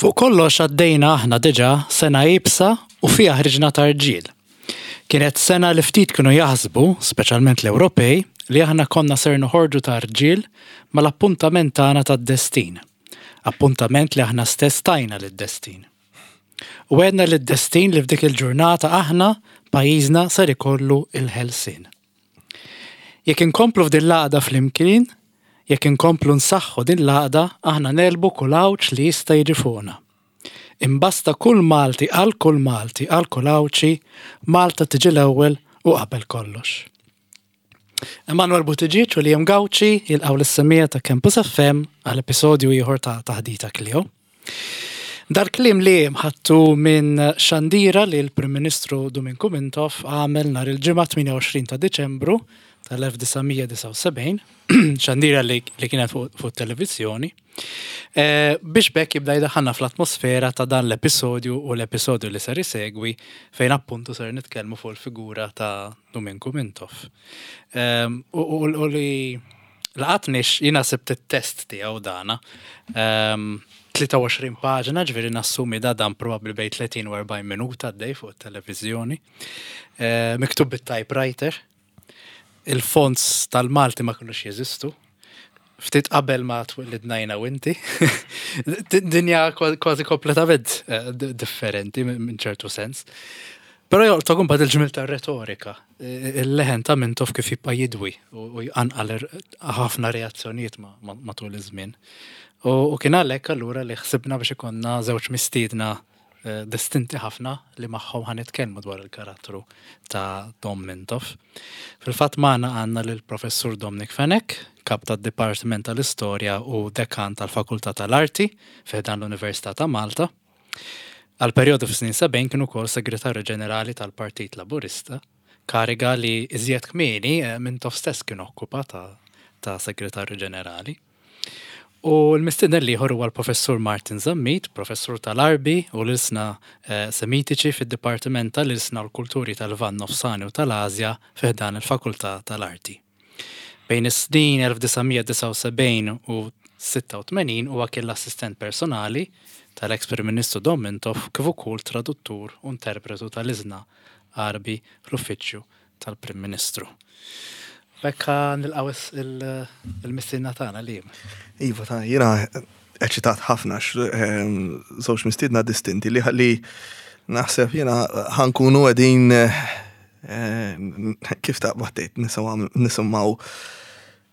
Fuq kollox għaddejna aħna diġà sena iebsa u fiha ħriġna ta' rġiel. Kienet sena li ftit kienu jaħsbu, speċjalment l-Ewropej, li aħna konna ser noħorġu ta' rġiel mal-appuntament tagħna tad-destin. Appuntament li aħna stess tajna lid-destin. U għedna lid-destin li f'dik il-ġurnata aħna, pajjiżna ser ikollu il-ħelsien. Jekk inkomplu f'din l-għaqda flimkien, jekk inkomplu nsaħħu din l-għaqda, aħna negħlbu kull għawġ li jista' jiġi fuqna. Imbasta kull Malti għal kull Malti għal kull Għawdxi, Malta tiġi l-ewwel u qabel kollox. Emanuel Buttigieg u Liam Gauci jilqgħu lis-semmiegħa ta' Campus FM għal episodju ieħor ta' Taħdita Clio. Dal-kliem li ħadtu minn xandira li l-Prim Ministru Duminku Mintoff għamel nhar il-Ġimgħa 28 ta' Diċembru tal-1979, xandira li, li kienet fuq fu televizjoni, eh, biex bekk jibda jdaħħalna fl-atmosfera ta' dan l-episodju u l-episodju li ser isegwi fejn appuntu ser nitkellmu fuq il-figura ta' Duminku Mintoff. Ehm, u, u, u li Laqatni jiena sibt it-test tiegħu dana. 23 ehm, paġna, ġifieri nassumi da dan probabbli bejn 30 u 40 minuta għaddej fuq it-televiżjoni. Eh, miktub bit-typewriter. Il-fonts tal-Malti ma kinux jeżistu. Ftit qabel ma twilidna jiena u inti. Dinja kważi kompletament eh, differenti minn ċertu sens. Però jolqtok imbagħad il-ġmiel tar-retorika, il-leħen ta' Mintoff kif jibqa' jidwi u jqanqal ħafna reazzjonijiet matul iż-żmien. U kien għalhekk allura li ħsibna biex ikollna żewġ mistiedna eh, distinti ħafna li magħhom ħa nitkellmu dwar il-karattru ta' Dom Mintoff. Fil-fatt magħna għandna lill-Professur Dominic Fenech, kap tad-Dipartiment tal-Istorja u Dekan tal-Fakultà tal-Arti fi ħdan l-Università ta' Malta. Għal perjodu fis-snin 70 kien ukoll Segretarju Ġenerali tal-Partit Laburista, kariga li iżjed kmieni eh, Mintoff stess kien okkupa ta', ta Segretarju Ġenerali. U l-mistieden l-ieħor huwa l-Professur Martin Zammit, professur tal-Għarbi u l-Ilsna eh, Semitiċi fid-Dipartiment tal-Ilsna u l-Kulturi tal-Lvant Nofsani u tal-Asja fi ħdan il-Fakultà tal-Arti. Bejn is-snin 1979 u 86 huwa kien l-assistent personali tal-eks Prim Ministru Dom Mintoff kif ukoll traduttur u interpretu tal-Iżna Għarbi fl-Uffiċċju tal-Prim Ministru. B'hekk nilqgħu il-mistiedna tagħna Liam. Iva ta' jiena eċitat ħafna ehm, żewġ mistiedna distinti li li naħseb jiena ħankunu qegħdin eh, kif taqbad tgħid nisimgħu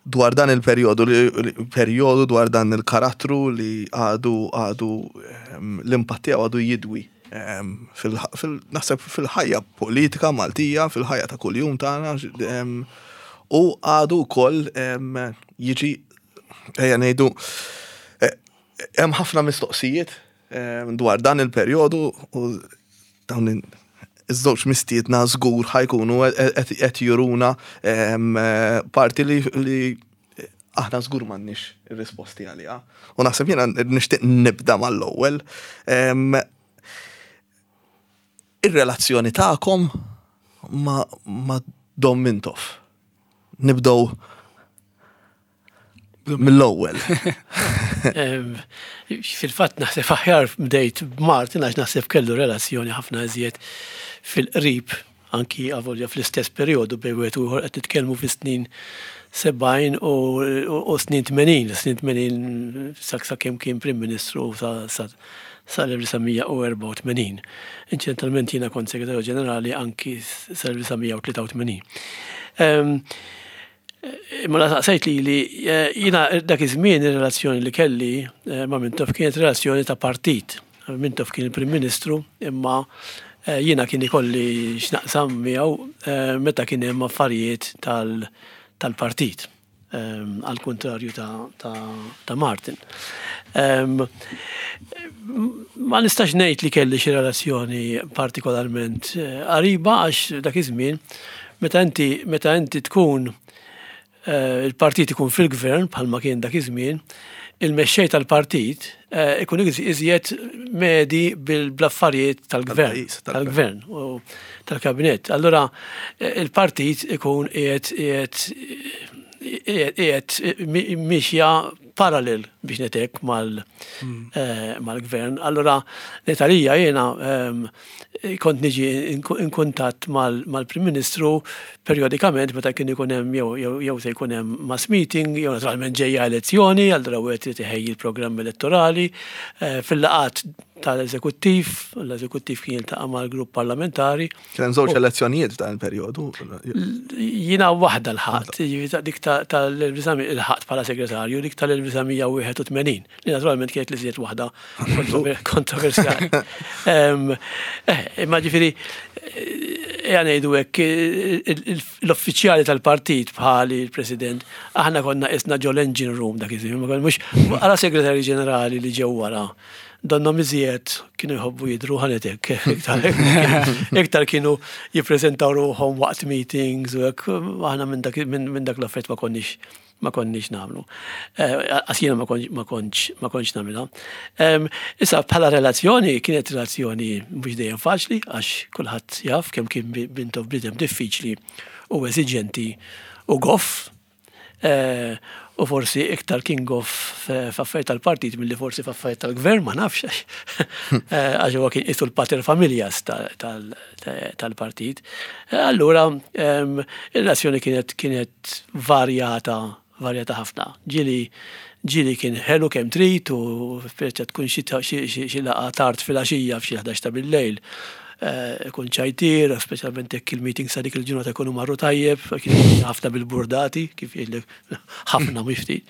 dwar dan il-perjodu, perjodu dwar dan il-karattru li għadu għadu ehm, l-impatt tiegħu għadu jidwi ehm, naħseb fil-ħajja politika Maltija, fil-ħajja ta' kuljum tagħna ehm, u għadu wkoll jiġi ejja ngħidu eh, hemm ħafna mistoqsijiet dwar dan il-perjodu u dawn iż-żewġ mistiedna żgur ħajkunu qed juruna parti li aħna żgur m'għandniex ir-risposti għaliha. U naħseb jiena nixtieq nibda mal-ewwel. Ir-relazzjoni tagħkom ma' Dom Mintoff. Nibdew mill-ewwel. Fil-fatt naħseb aħjar bdejt b'Martin għax naħseb kellu relazzjoni ħafna iżjed fil-qrib anki avolja fl-istess perjodu bejn wieħed u ieħor qed nitkellmu fis-snin 70 u snin 80, snin 80 sak sakemm kien Prim Ministru sa sal-1984. Inċidentalment jiena kont Segretarju Ġenerali anki sal-1983. Imma la saqsejt lili, eh, jiena dak iż-żmien ir-relazzjoni li kelli eh, ma' Mintoff kienet relazzjoni ta' partit. Mintoff kien il-Prim Ministru, imma eh, jiena kien ikolli x'naqsam miegħu meta kien hemm affarijiet tal-partit. Għal kontrarju ta' Martin. Ma nistax ngħid li kelli xi relazzjoni partikolarment eh, qariba għax dak iż-żmien meta inti meta inti tkun eh, il-partit ikun fil-gvern bħalma kien dak iż-żmien, il-mexxej tal-partit eh, ikun iżjed medi bil-affarijiet tal-gvern, tal-gvern u tal-kabinett. Allura il-partit ikun qiegħed qiegħed mixja parallel biex netek mal-gvern. Allura ngħid għalija jiena kont niġi in kuntatt mal-Prim Ministru perjodikament meta kien ikun hemm jew se jkun hemm mass meeting jew naturalment ġejja elezzjoni, allura wieħed irid iħejji l-programm elettorali. Fil-laqgħat tal-eżekuttiv, l-eżekuttiv kien jiltaqa' mal-grupp parlamentari. Kien hemm żewġ elezzjonijiet f'dan il-perjodu. Jiena waħda lħaqt, dik tal-1900 ilħaqt bħala segretarju, dik tal-1981, li naturalment kienet l-iżjed waħda kontroversjali. Eh, imma ġifieri ejja ngħidu hekk l-uffiċjali tal-partit bħali l-President, aħna konna qisna ġol engine room dak iż-żmien, mhux għala segretarju ġenerali li ġew wara Donnhom iżjed kienu jħobbu jidhru ħanet hekk, iktar kienu jippreżentaw ruħhom waqt meetings u hekk, aħna minn dak minn dak l-affarijiet ma konniex ma konniex nagħmlu. Qas jiena ma kontx ma kontx nagħmilha. Issa bħala relazzjoni kienet relazzjoni mhux dejjem faċli għax kulħadd jaf kemm kien Mintoff bniedem diffiċli u eżiġenti u goff. U forsi iktar kien goff f'affarijiet tal-partit milli forsi f'affarijiet tal-gvern, ma nafx għax għax huwa kien qisu l-pater familias tal-partit. Allura ir-relazzjoni kienet kienet varjata varjata ħafna. Ġieli ġieli kien ħelu kemm trid u speċa tkun xi xi laqgħa tard filgħaxija f'xi 11 ta' billejl. Ikun ċajtier, speċjalment jekk il-meetings ta' dik il-ġurnata jkunu marru tajjeb, kien ħafna bil-burdati, kif jgħidlek ħafna mhux ftit.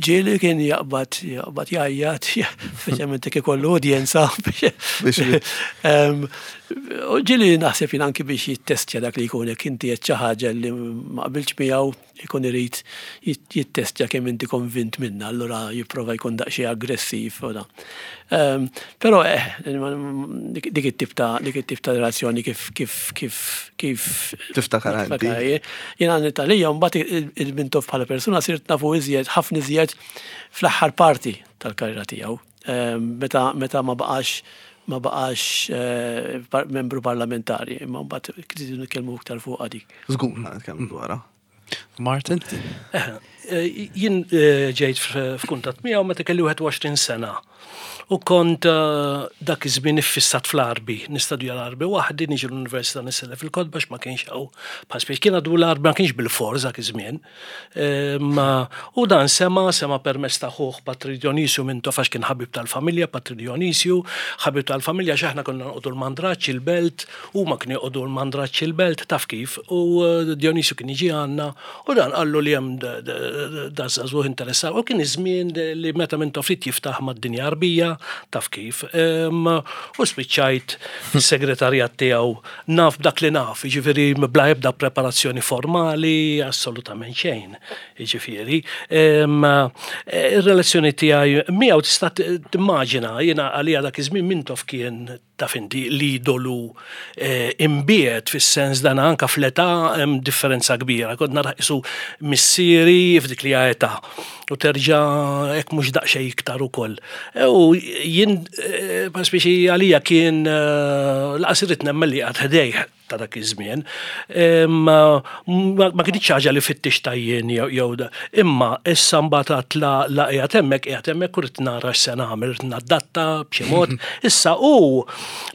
Ġieli kien jaqbad jaqbad jgħajjat, speċjalment jekk ikollu udjenza. Ġieli naħseb jien anki biex jittestja dak li jkun jekk inti qed xi ħaġa li ma qbiltx miegħu ikun irid jittestja kemm inti konvint minnha, allura jipprova jkun daqsxejn aggressiv u da. Ehm, però eh, dik it-tip ta' dik it-tip ta' relazzjoni kif kif kif kif tiftakar inti. Jiena Italija mbagħad il-Mintoff bħala persuna sirt nafu iżjed ħafna iżjed fl-aħħar parti tal-karriera tiegħu. Ehm, meta meta ma baqax ma baqax eh, membru parlamentari, imma mbagħad kridu nitkellmu iktar fuq dik. Żgur ma nitkellmu dwarha. Martin? Eh, eh, jien ġejt f'kuntatt miegħu meta kelli 21 sena. U kont dak iż-żmien iffissat fl-Arbi, nistudja l-Arbi waħdi, niġi l-università nisellef il-kotba ma kienx hawn. Bħal kien għadu l-Arbi ma kienx bil-forz dak iż-żmien. U dan sema, sema permezz ta' ħuh Patri Dionisju Mintoff għax kien ħabib tal-familja, Patri Dionisju, ħabib tal-familja għax aħna konna noqogħdu l-Mandraġġ il-Belt, huma kienu joqogħdu l-Mandraġġ il-Belt, taf kif, u eh, Dionisju kien jiġi għandna u dan qallu li hemm da żagħżugħ interessat. U kien iż-żmien li meta Mintoff ried jiftaħ mad-dinja Għarbija, taf kif. U spiċċajt fis-segretarjat tiegħu Naf b'dak li naf, jiġifieri bla ebda preparazzjoni formali, assolutament xejn, jiġifieri. Ir-relazzjoni tiegħi miegħu tista' timmaġina, jiena għalija dak iż-żmien Mintoff kien taf inti l-idolu eh, imbiet fis-sens dan anka fl-età hemm differenza kbira. Kont nara qisu missieri f'dik li età u terġa' hekk mhux daqsxejn iktar ukoll. E, u jien, e, speċi għalija kien e, laqas irrid nemmen li għad ħdejh ta' dak iż-żmien. Ma kienx ħaġa li fittix tajjien jew imma issa mbagħad għad la la qiegħed hemmhekk qiegħed hemmhekk u rrid nara x'se nagħmel, rrid nadatta b'xi mod. Issa hu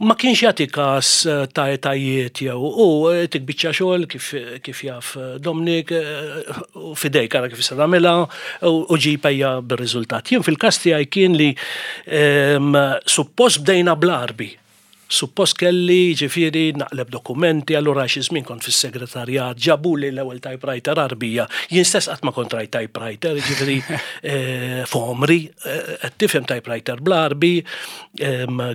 ma kienx jagħti każ ta' etajiet jew u tik biċċa xogħol kif kif jaf Dominic u fidejk ara kif se nagħmilha u ġib ejja bir-riżultat. Jien fil-każ tiegħi kien li ehm, suppost bdejna bl-Għarbi. Suppost kelli ġifieri naqleb dokumenti, allura xi żmien kont fis-segretarjat, ġabuli l-ewwel typewriter Għarbija. Jien stess qatt ma kont rajt typewriter, ġifieri eh, f'għomri, eh, qed tifhem typewriter bl-Għarbi,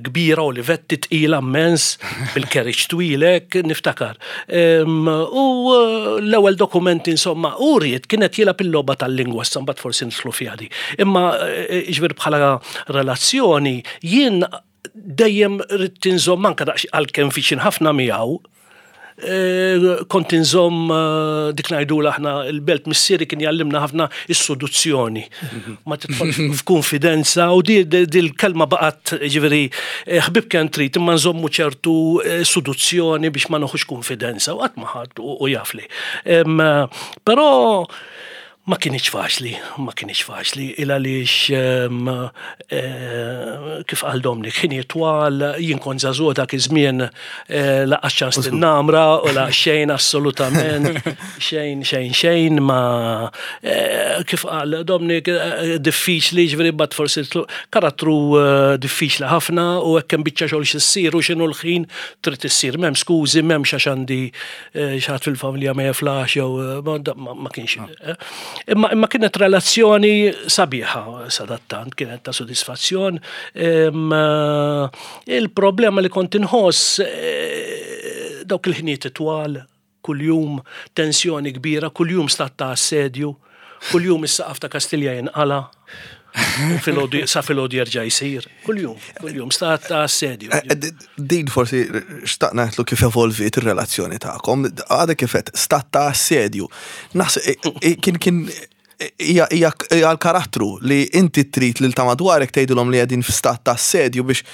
kbira Olivetti tqila mmens bil-carriage twilek niftakar. U eh, l-ewwel dokumenti insomma u ried kienet jilgħab il-logħba tal-lingwa issa mbagħad forsi nidħlu fiha di. Imma eh, ġifier bħala relazzjoni jien dejjem ridt inżomm anke daqs għalkemm viċin ħafna miegħu Eh, kont inżomm eh, dik ngħidula aħna il-belt missieri kien jallimna ħafna is-seduzzjoni. Ma tidħolx f'konfidenza u di l-kelma baqgħet ġifieri eh, ħbib kemm trid imma nżommu ċertu seduzzjoni biex ma noħux konfidenza u qatt ma ħadd u jafli. Però Ma kinitx faċli, ma kinitx faċli, il għaliex kif qal Dominic, ħinijiet twal, jien kont żagħżugħ dak iż-żmien lanqas ċans tinnamra u la xejn assolutament, xejn, xejn, xejn ma kif qal Dominic diffiċli, ġifieri mbagħad forsi karattru diffiċli ħafna u hekk hemm biċċa xogħol xi ssir u x'inhu l-ħin trid issir, m'hemm skużi, m'hemmx għax għandi xi ħadd fil-familja ma jiflax jew ma kienx. Imma imma kienet relazzjoni sabiħa sadattant, kienet ta' sodisfazzjon. Il-problema li kont inħoss dawk il-ħniet twal, kuljum tensjoni kbira, kuljum stat ta' assedju, kuljum is-saqaf ta' Kastilja jinqala'. Filgħodu sa filgħodu jerġa' jsir. Kuljum, kuljum stat ta' assedju. Eh, eh, din forsi xtaqna ngħidlu kif evolviet ir-relazzjoni tagħkom, għadha kif qed stat ta' assedju. Naħseb eh, kien kien hija l-karattru li inti trid lil ta' madwarek tgħidilhom li qegħdin f'stat ta' assedju biex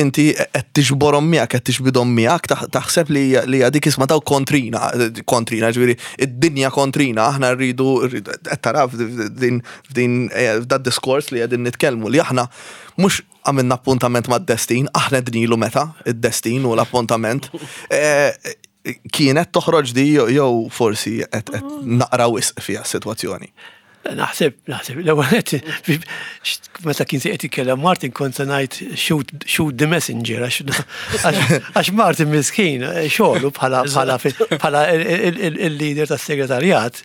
inti qed tiġborhom miegħek, qed tiġbidhom miegħek, taħseb li hija dik isma' daw kontrina, kontrina, ġifieri id-dinja kontrina, aħna rridu qed tara f'din f'din eh, f'dad diskors li qegħdin nitkellmu li aħna mhux għamilna appuntament mad-destin, aħna dnilu meta id-destin u l-appuntament. Eh, kienet toħroġ di jew forsi qed naqra wisq fiha s-sitwazzjoni. Naħseb, naħseb, l-ewwel meta kien se qed jitkellem Martin kont se ngħid shoot, shoot the messenger għax Martin miskin xogħlu bħala bħala bħala il-leader tas-segretarjat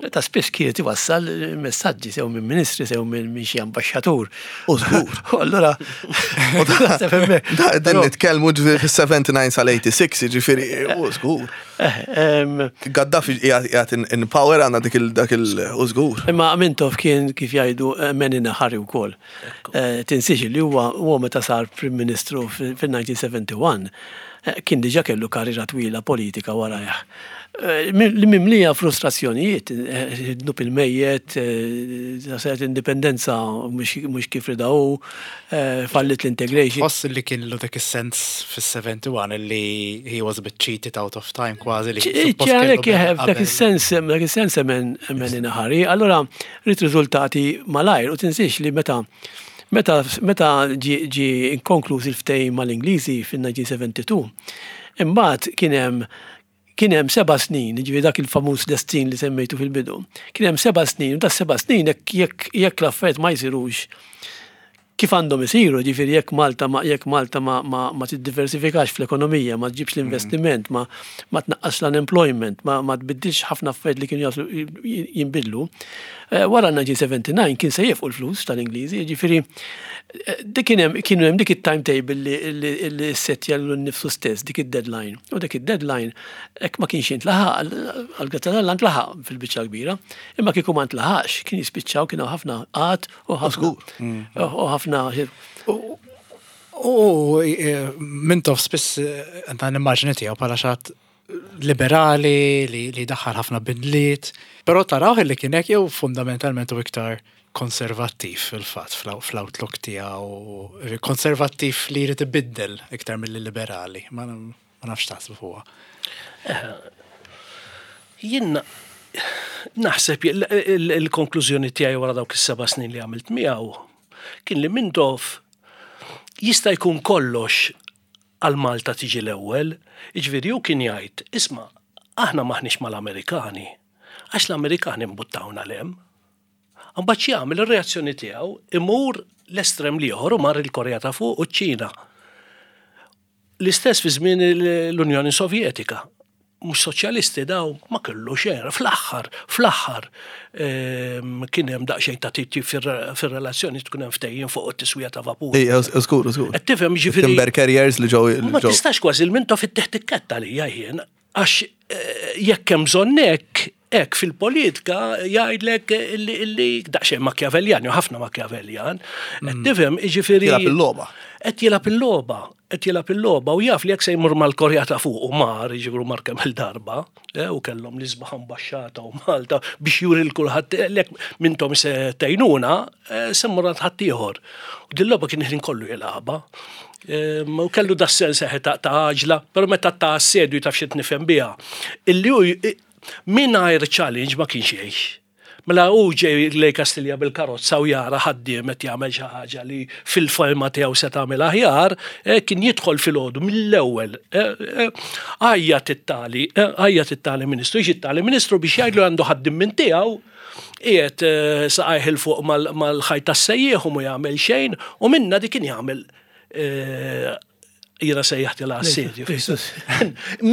ta' spiss kienet iwassal messaġġi sew minn ministri sew minn xi ambaxxatur. U żgur. U allura naħseb hemmhekk. Da qegħdin nitkellmu ġifieri fis-79 sal-86, ġifieri u żgur. Gaddafi qiegħed in power għandna dik il dak il u żgur. Imma Mintoff kien kif jgħidu man in a hurry wkoll. Tinsiex li huwa huwa meta sar Prim Ministru fil-1971 kien diġà kellu karriera twila politika warajh. Li mimlija frustrazzjonijiet, dnub il-mejjet, saret indipendenza mhux kif rida hu, fallit l-integration. Tħoss li kien lu dak is-sens fis-71 li he was a bit cheated out of time kważi li suppost kellu. Dak is-sens, dak is-sens man in a hurry. Allura ried riżultati malajr u tinsiex li meta meta meta ġie konkluż il-ftehim mal-Ingliżi fin-1972, imbagħad kien hemm Kien hemm seba' snin, jiġifieri dak il-famuż destin li semmejtu fil-bidu. Kien hemm seba' snin, u das-seba' snin jekk jekk jekk l-affarijiet ma jsirux kif għandhom isiru, jiġifieri jekk Malta ma jekk Malta ma ma ma tiddiversifikax fl-ekonomija, ma ġġibx l-investiment, ma ma tnaqqasx l-unemployment, ma ma tbiddilx ħafna affarijiet li kienu jaslu jinbidlu, Wara 1979 kien se jifqu l-flus tal-Ingliżi, jiġifieri dik kien hemm kienu hemm dik it-timetable li ssettja lilu nnifsu stess, dik id-deadline. U dik id-deadline hekk ma kienx jintlaħaq, għall-grazzja t'Alla ntlaħaq fil-biċċa l-kbira, imma kieku ma ntlaħaqx kien jispiċċaw kien hawn ħafna qgħad u ħafna u ħafna U Mintoff spiss għandna l-immaġni tiegħu bħala xi ħadd liberali li, li daħħal ħafna bidliet, però tarawh li kien hekk jew fundamentalment u iktar konservattiv fil-fatt fl-outlook tiegħu, konservattiv li jrid ibiddel iktar milli liberali, ma nafx taħsbu fuqha. Eh, jien naħseb il-konklużjoni tiegħi wara dawk is-seba' snin li għamilt miegħu kien li Mintoff jista' jkun kollox għal Malta tiġi l-ewwel, jiġifieri hu kien jgħid, isma' aħna m'aħniex mal-Amerikani, għax l-Amerikani mbuttawna 'l hemm. Imbagħad x'jagħmel ir-reazzjoni tiegħu imur l-estrem l-ieħor u mar il-Korea ta' Fuq u ċ-Ċina. L-istess fi żmien l-Unjoni Sovjetika. Mhux soċjalisti daw ma kellu xejn. Fl-aħħar, fl-aħħar ehm, kien hemm daqsxejn ta' titjib fir-relazzjoni tkun hemm ftehim fuq it-tiswija ta' vapur. Ej, żgur, żgur. Qed tifhem ġifieri. Timber carriers li ġew. Ma tistax kważi l-minto fit-teħtikketta li jien għax eh, jekk hemm bżonn hekk, hekk fil-politika jgħidlek illi daqsxejn Machiavellian, jew ħafna Machiavellian. Qed tifhem, jiġifieri. Jilgħab il-logħba. Qed jilgħab il-logħba, qed jilgħab il-logħba u jaf li jekk se jmur mal-Korea ta' fuq u mar, jiġifieri mar kemm il-darba, eh, u kellhom l-isbaħ ambaxxata u Malta biex juri l kulħadd eh, lek mintom se tgħinuna, eh, se mmur għand ħaddieħor. U din logħba kien il-ħin kollu jilgħabha. U kellu da sens ta' għaġla, però meta ta' assedju taf xi nifhem biha. Illi hu mingħajr challenge ma kienx jgħix. Mela hu ġej lej Kastilja bil-karozza u jara ħaddiem qed jagħmel xi ħaġa li fil-fehma tiegħu se tagħmel aħjar, eh, kien jidħol filgħodu mill-ewwel. Eh, eh, għajjat it-tali, għajjat it-tali ministru, jiġi t-tali ministru biex jgħidlu għandu ħaddiem minn tiegħu qiegħed saqajh 'il fuq mal-ħajt tas-sejjieħ u ma jagħmel xejn u minna dik kien jagħmel jiena sejjaħtilha assedju.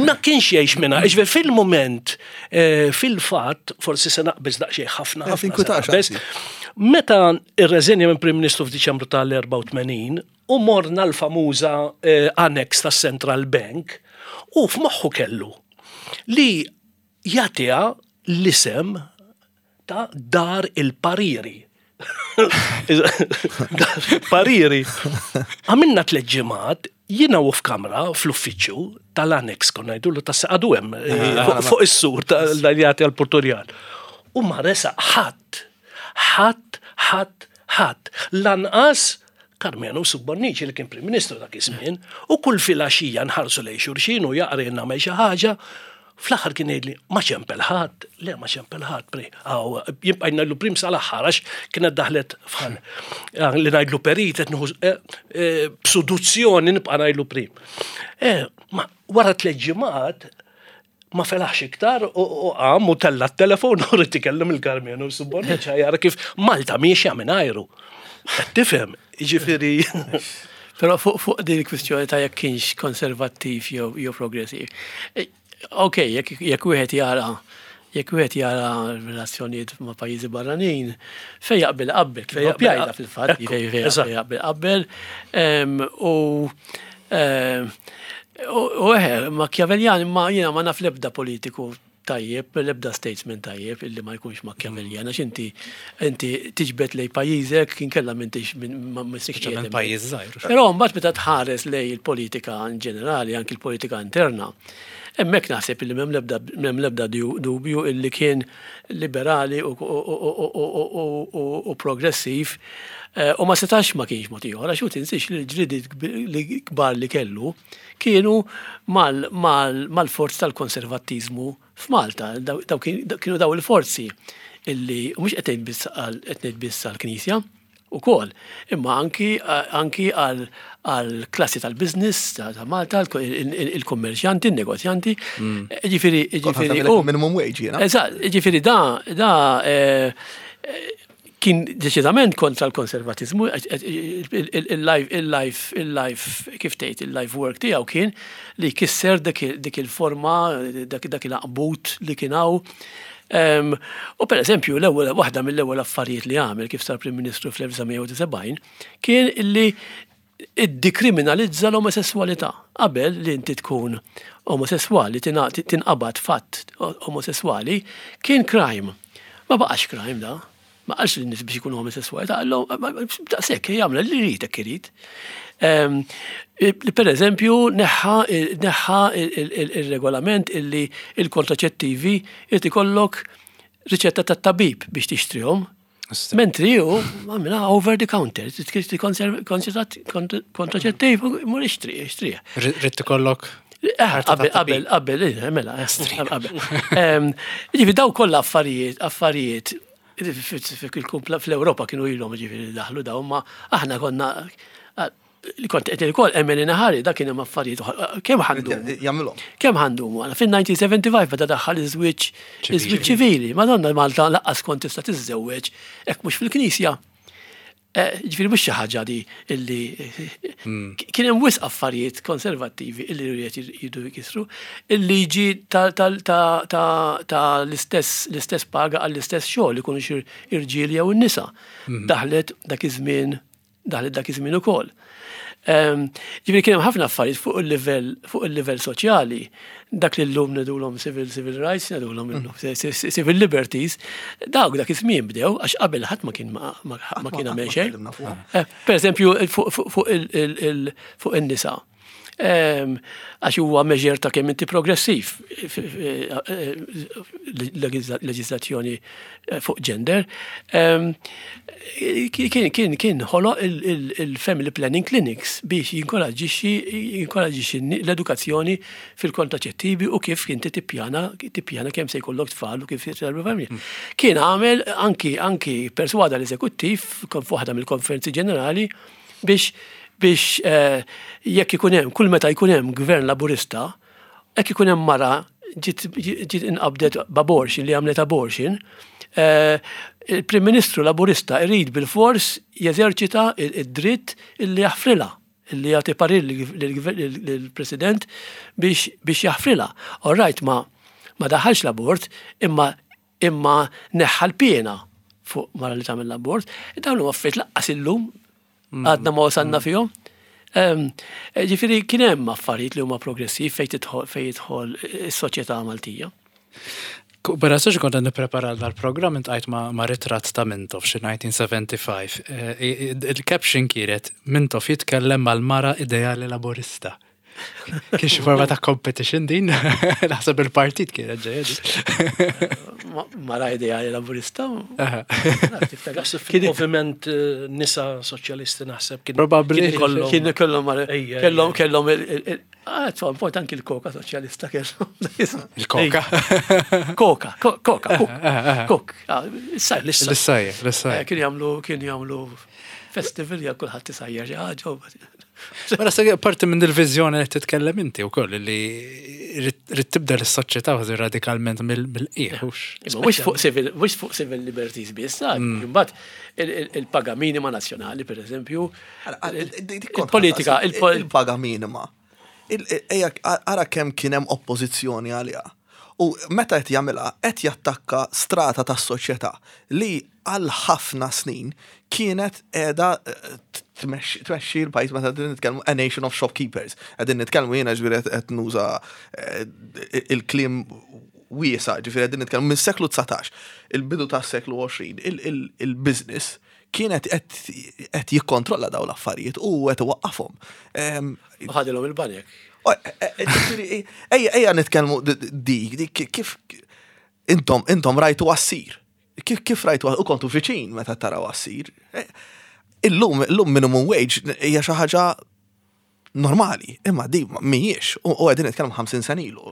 Ma kienx jgħix minna, ġifieri fil-moment, eh, fil-fatt, forsi se naqbeż daqsxejn ħafna. Eh, meta irreżenja minn Prim Ministru f'Diċembru tal-84 u morna l-famuża eh, annex tas Central Bank u f'moħħu kellu li jagħtiha l-isem ta' Dar il-Pariri. Dar il-Pariri. Għamilna tliet ġimgħat jiena u f'kamra fl-uffiċċju tal-annex konna ngħidulu ta' għadu hemm eh, ah, fuq is-sur tal-jagħti għall-Porturjal. U ma resaq ħadd, ħadd, ħadd, ħadd. Lanqas Karmenu Bonnici li kien Prim Ministru dak iż-żmien, u kull filgħaxija nħarsu lejn xulxin u jaqri nagħmel xi ħaġa, fl-aħħar kien jgħidli ma ċempel ħadd, le ma ċempel ħadd, pri, għaw, jibqa' ngħidlu prim sal-aħħar għax kienet daħlet fħal ah, li ngħidlu perit qed nieħu eh, eh, b'suduzzjoni nibqa' ngħidlu prim. Eh, ma wara tliet ġimgħat ma felaħx iktar u qam u tella t-telefon u rrid ikellem il-Karmenu Subborniċ jara kif Malta miexja minn ajru. Qed tifhem, jiġifieri. Però fuq fuq din il-kwistjoni ta' jekk kienx konservattiv jew jew progressiv. E, ok, jekk jekk wieħed jara jekk wieħed jara relazzjonijiet ma' pajjiżi barranin, fejn jaqbel qabel, kif jaqbel fil-fatt, fejn jaqbel qabel. U U eħe, Machiavellian, ma jiena ma naf l-ebda politiku tajjeb, l-ebda statesman tajjeb illi ma jkunx Machiavellian, għax inti inti tiġbed lej pajjiżek inkella m'intix ma missek pajjiż żgħir. Però mbagħad meta tħares lej il-politika in ġenerali, anki l-politika interna, hemmhekk naħseb illi m'hemm l-ebda m'hemm l-ebda dubju illi kien liberali u progressiv eh, u ma setax ma kienx mod ieħor għax hu tinsiex li l-ġlidiet li kbar li kellu kienu mal-forzi tal-konservattiżmu f'Malta. Kienu daw il-forzi illi mhux qed ngħid biss għall-Knisja, ukoll, imma anki anki għall-klassi tal-business ta' Malta, il-kummerċjanti, il-negozjanti. Mm. Ġifieri, ġifieri. Minimum wage jiena. Eżatt, ġifieri da da eh, kien deċidament kontra l-konservatizmu, il-life, il-life, il-life, kif tgħid, il-life work tiegħu kien li jkisser dik il-forma, dak il-aqbut li kien hawn U per eżempju, l-ewwel waħda mill-ewwel affarijiet li għamel kif sar Prim Ministru fl-1970 kien illi iddikriminalizza l-omosessualità. Qabel li inti tkun omosessuali, tinqabad fatt omosessuali, kien crime. Ma baqax crime da. Ma qalx lin-nies biex ikunu omosessuali, ta' daqshekk jagħmel li jrid hekk irid. Ehm, per eżempju, neħħa neħħa il-regolament illi il-kontraċettivi irid ikollok riċetta tat-tabib biex tixtrihom. Mentri ju, għamilha over the counter, kontraċettiv, mur ixtri, ixtri. Rrid ikollok eh, Qabel, qabel, qabel, eh, mela, eh, qabel. Ehm, ġifi daw kollha affarijiet, affarijiet fl-Ewropa kienu ilhom ġifieri daħlu daw, ma aħna konna li kont qed ukoll Emily Nahari dak kien hemm affarijiet kemm ħandu. Jagħmilhom. Kemm ħandu Fin-1975 meta daħħal iż-żwieġ iż-żwieġ ċivili, Madonna Malta laqqas kont tista' tiżżewweġ hekk mhux fil-knisja. Eh, ġifieri mhux xi ħaġa di illi hmm. kien hemm wisq affarijiet konservattivi illi rrid jridu jkissru. Il-liġi ta' l-istess l-istess paga għall-istess xogħol ikunu xi irġiel jew in-nisa. Hmm. Daħlet dak iż-żmien daħlet dak iż-żmien ukoll. Ehm, ġifieri kien hemm ħafna affarijiet fuq il-livell fuq il-livell soċjali, dak li llum ngħidulhom civil civil rights, ngħidulhom illum mm. civil liberties, dawk dak iż-żmien bdew għax qabel ħadd ma kien ma kien għamel xejn. Eh, per eżempju fuq in-nisa. Għax huwa measure ta' kemm inti progressiv leġiżlazzjoni fuq gender. Kien kien kien ħoloq il-family planning clinics biex jinkoraġġixxi jinkoraġġixxi l-edukazzjoni fil-kontraċettivi u kif inti tippjana tippjana kemm se jkollok tfal u kif se familja. Kien għamel anki anki perswada l-eżekuttiv f'waħda mill-konferenzi ġenerali biex biex eh, jekk ikun hemm kull meta jkun hemm gvern laburista, jekk ikun hemm mara ġiet inqabdet b'abortion li għamlet abortion, eh, il-Prim Ministru Laburista irid bil-fors jeżerċita id-dritt illi jaħfrilha illi jagħti parir lill-President biex biex jaħfrilha. All right, ma ma daħalx l-abort, imma imma neħħa l-piena fuq mara li tagħmel l-abort. Dawn huma affarijiet laqqas illum għadna ma wasalna fihom. Ġifieri kien hemm affarijiet li huma progressiv fejn tidħol fejn jidħol is-soċjetà Maltija. Bera sax kont nipprepara dal-programm intqajt ma', ma ritratt ta' Mintoff xi 1975. Eh, Il-caption kienet Mintoff jitkellem mal-mara ideali laburista. Kien xi forma ta' competition din? Naħseb il-partit kienet ġejja din. Mara ideali laburista. Naħseb fil-moviment eh, nisa soċjalisti naħseb kien. Probabbli. Kien kellhom kellhom kellhom ah, at one point anki l-koka soċjalista kellhom. Il-koka. Koka, koka, kok. Ah, L-issajja, l-issajja. Eh, kien jagħmlu kien jagħmlu festival ja kulħadd isajjar xi ħaġa. Mela se parti minn il-viżjoni li titkellem inti wkoll li rrid tibdel is-soċjetà kważi radikalment mill-qiegħ. Mhux fuq civil, mhux fuq civil liberties biss, mm. imbagħad il-paga minima nazzjonali pereżempju. Il-politika, il-paga minima. Ara kemm kien hemm oppożizzjoni għaliha. U meta qed jagħmilha qed jattakka strata tas-soċjetà li għal ħafna snin kienet qiegħda tmexxi l-pajjiż meta qegħdin nitkellmu a nation of shopkeepers. Qegħdin nitkellmu jiena ġifieri qed nuża eh, il-kliem wiesa, ġifieri qegħdin nitkellmu mis-seklu 19, il-bidu tas-seklu 20, il-business kienet qed jikkontrolla daw l-affarijiet u qed iwaqqafhom. Ħadilhom il-banek. Eh, eh, ejja, ejja nitkellmu dik, dik kif intom intom rajtu għassir. Kif kif rajtu u kontu viċin meta taraw għassir. Eh, illum, illum minimum wage hija xi ħaġa normali, imma di mhijiex u qegħdin nitkellmu 50 sena ilu.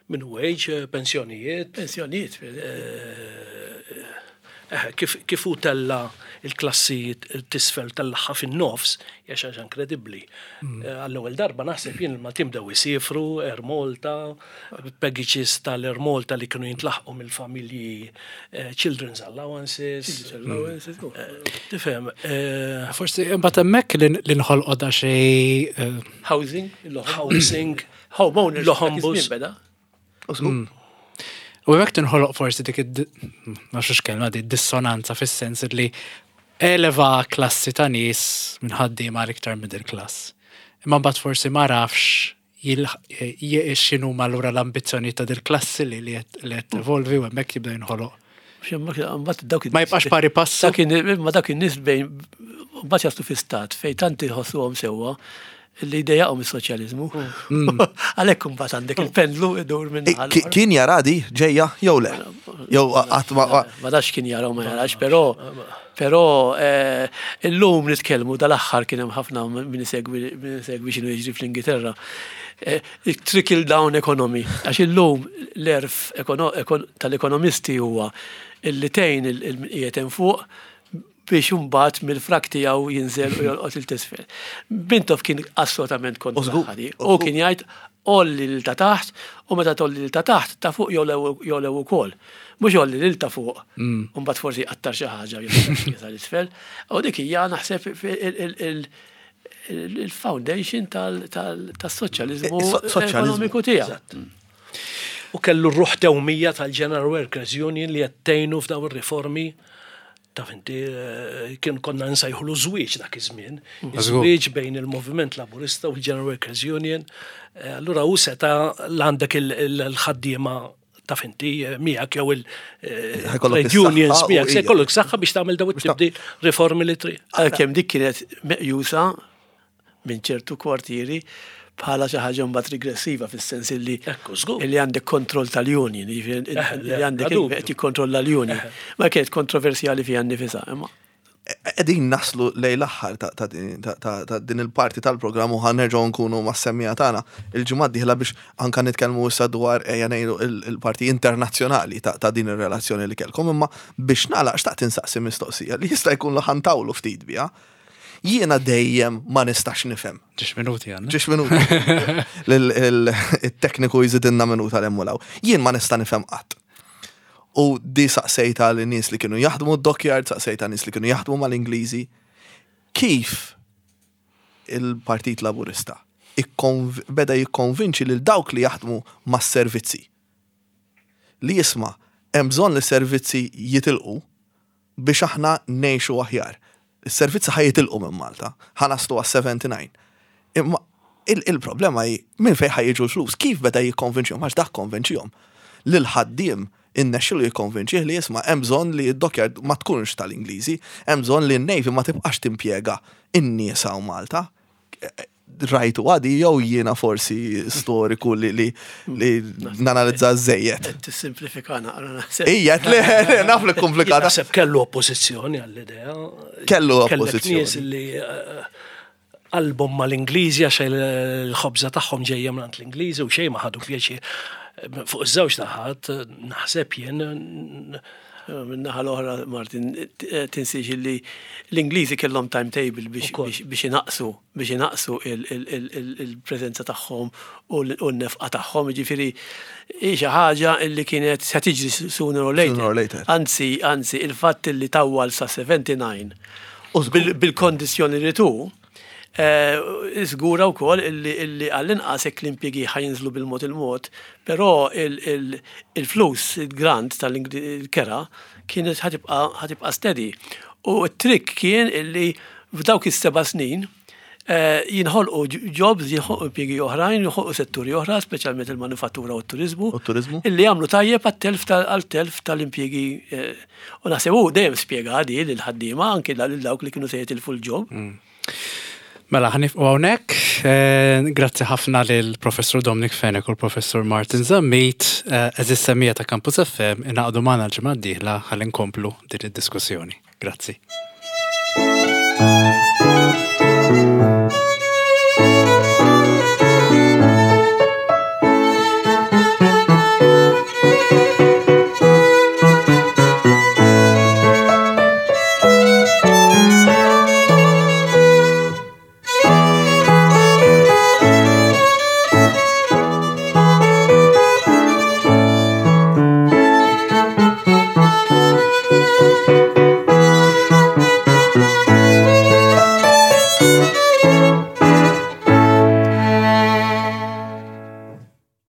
Minimum wage, eh, pensjonijiet. Pensjonijiet. Eh, kif, kif hu tella il-klassi tisfel tellagħha fin-nofs, hija xi ħaġa inkredibbli. Mm. Eh, għall-ewwel darba naħseb jien il-Maltin bdew isifru Air Malta, packages tal-Air Malta li kienu jintlaħqu mill-familji eh, children's allowances. Allowances. Mm. Eh, tifhem. Forsi imbagħad hemmhekk li nħolqod da xi housing, housing, homeowners, l-hombus. Mm. U hemmhekk tinħoloq forsi dik ma nafx kelma di dissonanza fis-sens li eleva klassi ta' nies minn ħaddiema għal iktar middle class. Imma mbagħad forsi ma rafx x'inhu allura l-ambizzjoni ta' dil-klassi li li qed tevolvi u hemmhekk jibda jinħoloq. Ma jibqax pari passu. Ma dak in-nies bejn mbagħad jaslu fi stat fejn tant iħossuhom sewwa li jdejjaqhom is-soċjaliżmu. Mm. Għalhekk imbagħad għandek il-pendlu idur minn eh, Kien jara di ġejja jew le? Jew qatt ma Ma dax kien jara u ma jarax, però però eh, illum nitkellmu dal-aħħar kien hemm ħafna min isegwi min isegwi x'inhu jiġri fl-Ingilterra. Eh, trickle down economy, għax illum l-erf tal-ekonomisti huwa illi tgħin il-qiegħed hemm fuq biex imbagħad mill-frak tiegħu jinżel u jolqot il t'isfel. Mintoff kien assolutament kontra ħadi. U kien jgħid olli lil ta' taħt u meta tolli lil ta' taħt ta' fuq jolew ukoll. Mhux olli lil ta' fuq mm. u mbagħad forsi jqattar xi ħaġa jew isfel. U dik hija naħseb il-foundation tas-soċjaliżmu ekonomiku tiegħu. U kellu r-ruħ tewmija tal-General Workers Union li qed tgħinu f'daw ir-riformi Taf inti, eh, kien konna nsejħulu żwieġ dak iż-żmien. Mm. Żwieġ bejn il-Moviment Laburista u l-General Workers Union. Eh, allura hu seta l-għandek il-ħaddiema taf inti eh, miegħek jew il-trade unions miegħek se jkollok saħħa biex tagħmel daw it-tibdil riformi li trid. Għalkemm dik kienet meqjusa minn ċertu kwartieri bħala xi ħaġa mbagħad regressiva fis-sens illi illi għandek kontroll tal-union, jiġifieri eh, li għandek qed jikkontrolla l-union. Eh. Ma kienet kontroversjali fiha nnifisha, imma Qegħdin naslu lejn l-aħħar ta' din il-parti tal-programm u ħa nerġgħu nkunu mas-semmiegħa tagħna il-ġimgħa d-dieħla biex anke nitkellmu issa dwar ejja ngħidu il-parti internazzjonali ta' din ir-relazzjoni li kellkom imma biex nagħlaq xtaqt insaqsi mistoqsija li jista' jkun li ħa ntawlu ftit biha. Jiena dejjem ma nistax nifhem. Ġiex minuti għandna. Ġiex minuti. Il-tekniku jżidilna minuta 'l hemm u 'l hawn. Jien ma nista' nifhem qatt. U di saqsejta li nies li kienu jaħdmu d-dockyard, saqsejta nies li kienu jaħdmu mal-Ingliżi. Kif il-Partit Laburista beda jikkonvinċi lil dawk li jaħdmu mas-servizzi li jisma' hemm bżonn li s-servizzi jitilqu biex aħna ngħixu aħjar. Is-servizzi ħa jitilqu minn Malta, ħa naslu għas-79. Imma il-problema hi minn fejn ħa jiġu l-flus, kif beda jikkonvinċihom, għax dak konvinċihom. Lil ħaddiem innexxilu jikkonvinċih li isma' hemm bżonn li d-dockyard ma tkunx tal-Ingliżi, hemm bżonn li n-Navy ma tibqax timpjega n-nies hawn Malta. Rajtu għadi jew jiena forsi storiku li li li nanalizza żejjed. Tissimplifika naqra naħseb. Ija, le, naf li komplikata. Naħseb kellu oppożizzjoni għall-idea. Kellu oppożizzjoni. Nies li eh, qalbhom mal-Ingliżi għax il-ħobża tagħhom ġejja minn l-Ingliżi u xejn ma ħadu pjaċir. Fuq iż-żewġ naħat naħseb jien Min-naħa l-oħra, Martin, tinsiex li l-Ingliżi kellhom timetable biex inaqqsu biex inaqqsu il-preżenza tagħhom u n-nefqa tagħhom, jiġifieri hi xi ħaġa li kienet se tiġri sooner or later. Anzi, anzi, il-fatt li tawwal sa 79 bil-kondizzjoni li tu, Żgura wkoll illi għall-inqas hekk l-impjiegi ħa jinżlu bil-mod il-mod, però il-flus, il-grant tal-kera kienet ħa tibqa' steady. U t-trick kien illi f'dawk is-seba' snin jinħolqu jobs, jinħolqu impjiegi oħrajn, jinħolqu setturi oħra, speċjalment il-manifattura u t-turiżmu. U t-turiżmu. Illi jagħmlu tajjeb għat-telf tal-impjiegi. U naħseb hu dejjem spjega di lill-ħaddiema, anki lil dawk li kienu se jitilfu l-job. Mela, ħanifqu hawnhekk. Eh, grazzi ħafna lil Professur Dominic Fenech u l-Professur Martin Zammit, eh, eżis semija ta' Campus FM, inaqdu magħna l-ġimgħa d-dieħla ħalli nkomplu din id-diskussjoni. Grazzi.